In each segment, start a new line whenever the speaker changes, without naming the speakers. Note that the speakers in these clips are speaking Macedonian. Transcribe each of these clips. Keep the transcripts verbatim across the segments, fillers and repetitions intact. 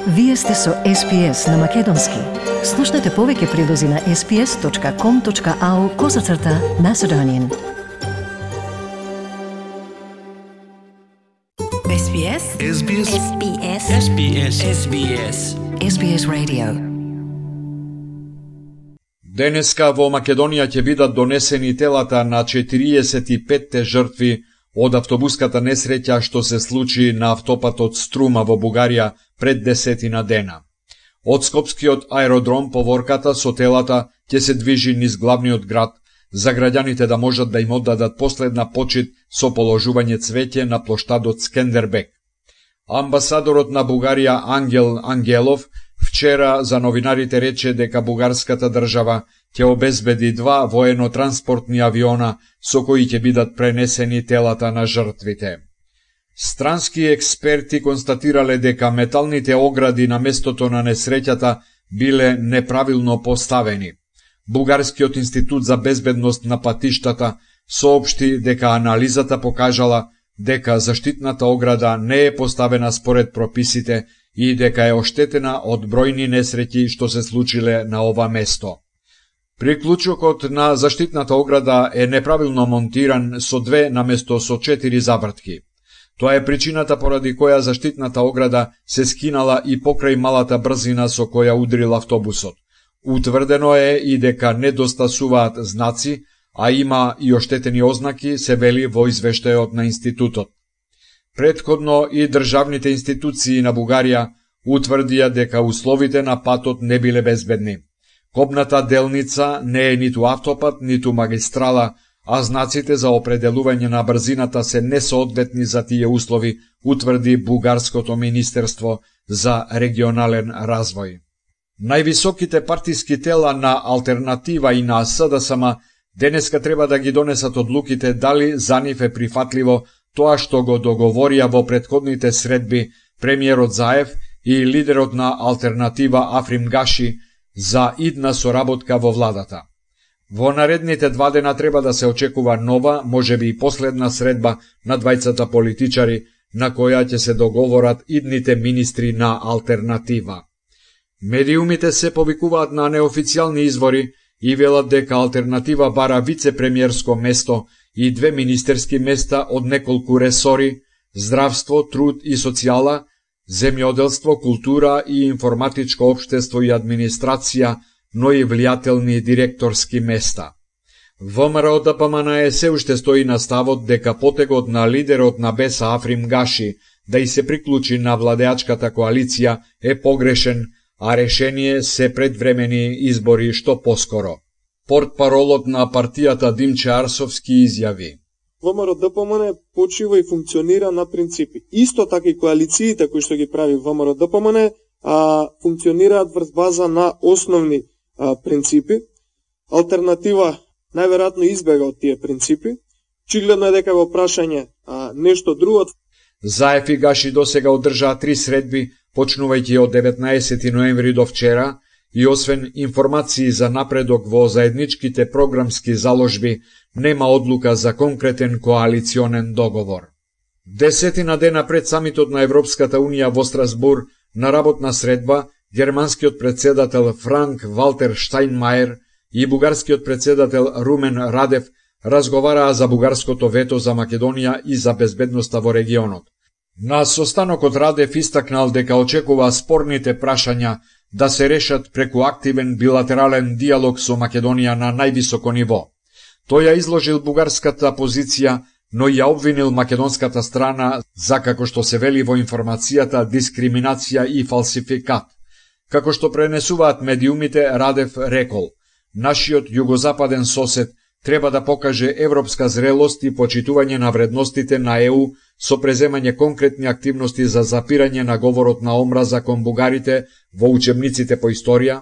Вие сте со Ес Би Ес на Македонски. Слушнете повеќе прилози на ес би ес точка ком точка ау козацрта Macedonian. Ес Би Ес.
Ес Би Ес.
Ес Би Ес.
Ес Би Ес. Ес Би Ес.
Ес Би Ес Radio.
Денеска во Македонија ќе бидат донесени телата на четириесет и петте жртви од автобуската несреќа што се случи на автопатот Струма во Бугарија пред десетина дена. Од Скопскиот аеродром поворката со телата ќе се движи низ главниот град, за граѓаните да можат да им оддадат последна почит со положување цвеќе на плоштадот Скендербек. Амбасадорот на Бугарија Ангел Ангелов вчера за новинарите рече дека бугарската држава ќе обезбеди два воено-транспортни авиона со кои ќе бидат пренесени телата на жртвите. Странски експерти констатирале дека металните огради на местото на несреќата биле неправилно поставени. Бугарскиот институт за безбедност на патиштата соопшти дека анализата покажала дека заштитната ограда не е поставена според прописите и дека е оштетена од бројни несреќи што се случиле на ова место. Приклучокот на заштитната ограда е неправилно монтиран со две наместо со четири завртки. Тоа е причината поради која заштитната ограда се скинала и покрај малата брзина со која удрил автобусот. Утврдено е и дека недостасуваат знаци, а има и оштетени ознаки, се вели во извештајот на институтот. Претходно и државните институции на Бугарија утврдија дека условите на патот не биле безбедни. Копната делница не е ниту автопат, ниту магистрала, а знаците за определување на брзината се несоодветни за тие услови, утврди Бугарското министерство за регионален развој. Највисоките партиски тела на Алтернатива и на Ес Де Ес Ем денеска треба да ги донесат одлуките дали за нив е прифатливо тоа што го договорија во претходните средби премиерот Заев и лидерот на Алтернатива Африм Гаши за идна соработка во владата. Во наредните два дена треба да се очекува нова, можеби и последна средба на двајцата политичари, на која ќе се договорат идните министри на Алтернатива. Медиумите се повикуваат на неофицијални извори и велат дека Алтернатива бара вице-премиерско место и две министерски места од неколку ресори: здравство, труд и социјала, земјоделство, култура и информатичко општество и администрација, но и влијателни директорски места. Вэ Ем Р Д П М Н Е се уште стои на ставот дека потегот на лидерот на Беса Африм Гаши да и се приклучи на владеачката коалиција е погрешен, а решение се предвремени избори што поскоро. Портпаролот на партијата Димче Арсовски изјави:
Вэ Ем Р Д П М Н почива и функционира на принципи. Исто така и коалициите кои што ги прави Вэ Ем Р Д П М Н а, функционираат врз база на основни а, принципи. Алтернатива најверојатно избега од тие принципи. Очигледно е дека во прашање а, нешто друго.
Заев и Гаши досега одржаа три средби, почнувајќи од деветнаесети ноември до вчера, и освен информации за напредок во заедничките програмски заложби, нема одлука за конкретен коалиционен договор. Десетина дена пред самитот на Европската Унија во Страсбур, на работна средба, германскиот председател Франк Валтер Штајнмајер и бугарскиот председател Румен Радев разговараа за бугарското вето за Македонија и за безбедноста во регионот. На состанокот Радев истакнал дека очекува спорните прашања да се решат преку активен билатерален диалог со Македонија на највисоко ниво. Тој ја изложил бугарската позиција, но ја обвинил македонската страна за, како што се вели во информацијата, дискриминација и фалсификат. Како што пренесуваат медиумите, Радев рекол: нашиот југозападен сосед треба да покаже европска зрелост и почитување на вредностите на Е У со преземање конкретни активности за запирање на говорот на омраза кон бугарите во учебниците по историја,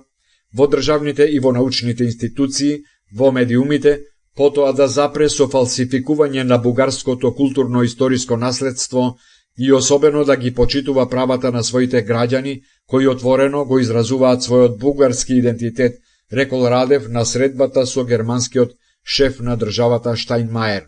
во државните и во научните институции, во медиумите, потоа да запре со фалсификување на бугарското културно-историско наследство и особено да ги почитува правата на своите граѓани кои отворено го изразуваат својот бугарски идентитет, рекол Радев на средбата со германскиот шеф на државата Штајнмајер.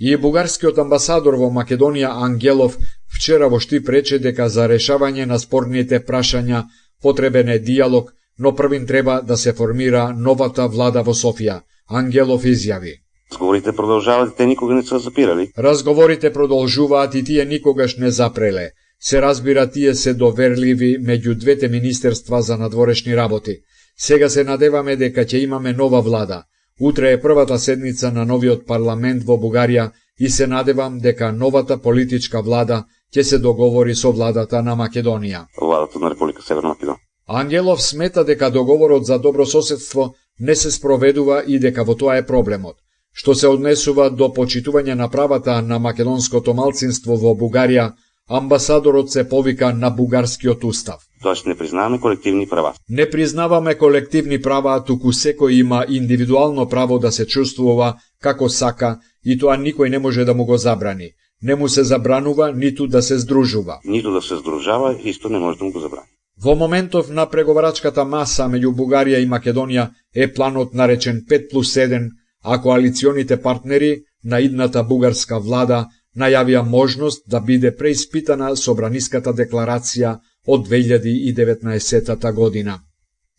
И бугарскиот амбасадор во Македонија Ангелов вчера во Штип рече дека за решавање на спорните прашања потребен е диалог, но првин треба да се формира новата влада во Софија. Ангелов изјави:
Разговорите продолжаваат и те никога не се запирали.
Разговорите продолжуваат и тие никогаш не запреле. Се разбира, тие се доверливи меѓу двете министерства за надворешни работи. Сега се надеваме дека ќе имаме нова влада. Утре е првата седница на новиот парламент во Бугарија и се надевам дека новата политичка влада ќе се договори со владата на Македонија.
Владата на Република Северна Македонија.
Ангелов смета дека договорот за добрососедство не се спроведува и дека во тоа е проблемот. Што се однесува до почитување на правата на македонското малцинство во Бугарија, амбасадорот се повика на бугарскиот устав.
Тоест не признаваме колективни права.
Не признаваме колективни права, туку секој има индивидуално право да се чувствува како сака и тоа никој не може да му го забрани. Не му се забранува ниту да се здружува.
Ниту да се здружава, исто не може да му го забрани.
Во моментов на преговарачката маса меѓу Бугарија и Македонија е планот наречен пет плюс еден, а коалиционите партнери на идната бугарска влада најавија можност да биде преиспитана собраниската декларација од две илјади и деветнаесетта година.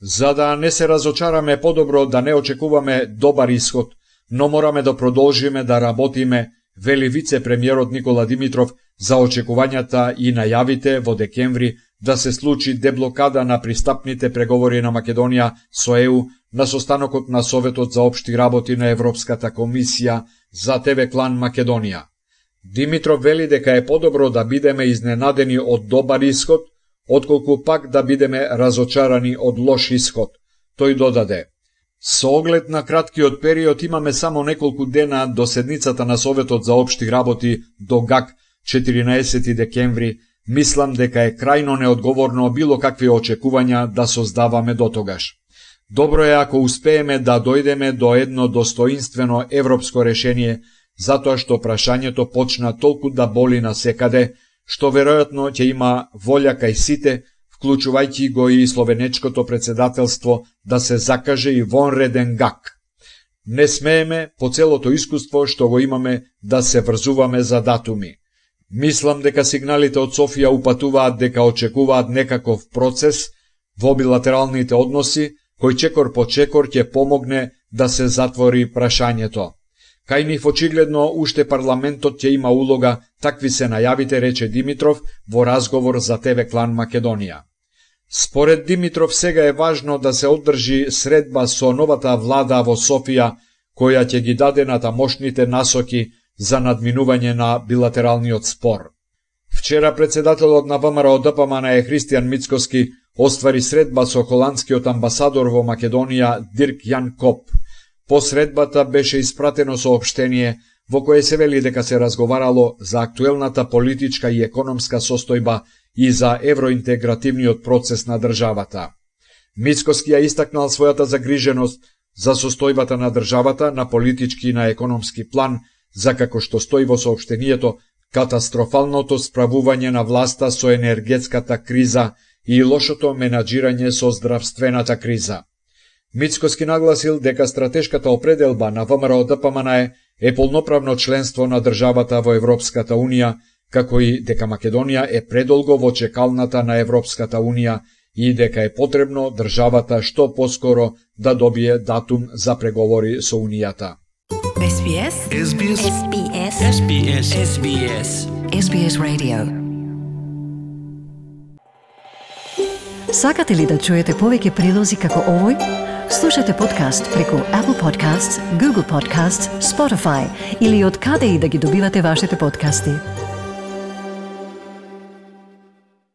За да не се разочараме, подобро да не очекуваме добар исход, но мораме да продолжиме да работиме, вели вице-премиерот Никола Димитров за очекувањата и најавите во декември да се случи деблокада на пристапните преговори на Македонија со Е У на состанокот на Советот за општи работи на Европската комисија за Те Ве Клан Македонија. Димитров вели дека е подобро да бидеме изненадени од добар исход, отколку пак да бидеме разочарани од лош исход. Тој додаде: Со оглед на краткиот период имаме само неколку дена до седницата на Советот за општи работи до ГАК четиринаесети декември, мислам дека е крајно неодговорно било какви очекувања да создаваме дотогаш. Добро е ако успееме да дојдеме до едно достоинствено европско решение, затоа што прашањето почна толку да боли насекаде, што веројатно ќе има волја кај сите, вклучувајќи го и словенечкото председателство, да се закаже и вонреден ГАК. Не смееме, по целото искуство што го имаме, да се врзуваме за датуми. Мислам дека сигналите од Софија упатуваат дека очекуваат некаков процес во билатералните односи, кој чекор по чекор ќе помогне да се затвори прашањето. Кај нив очигледно уште парламентот ќе има улога, такви се најавите, рече Димитров во разговор за Те Ве Клан Македонија. Според Димитров сега е важно да се одржи средба со новата влада во Софија, која ќе ги даде натамошните насоки за надминување на билатералниот спор. Вчера председателот на Вэ Ем Р О Д П М Н Е Христијан Мицкоски оствари средба со холандскиот амбасадор во Македонија Дирк Јан Коп. По средбата беше испратено соопштение во кое се вели дека се разговарало за актуелната политичка и економска состојба и за евроинтегративниот процес на државата. Мицкоски ја истакнал својата загриженост за состојбата на државата на политички и на економски план, за како што стои во соопштението, катастрофалното справување на власта со енергетската криза и лошото менаџирање со здравствената криза. Мицкоски нагласил дека стратешката определба на Вэ Ем Р О Д П М Н Е е полноправно членство на државата во Европската Унија, како и дека Македонија е предолго во чекалната на Европската Унија и дека е потребно државата што поскоро да добие датум за преговори со Унијата.
Ес Би Ес
Ес Би Ес
Ес Би Ес
Ес Би Ес Ес Би Ес
Ес Би Ес Radio. Сакате ли да чуете повеќе прилози како овој? Слушате подкаст преку Apple Podcasts, Google Podcasts, Spotify или од каде и да ги добивате вашите подкасти.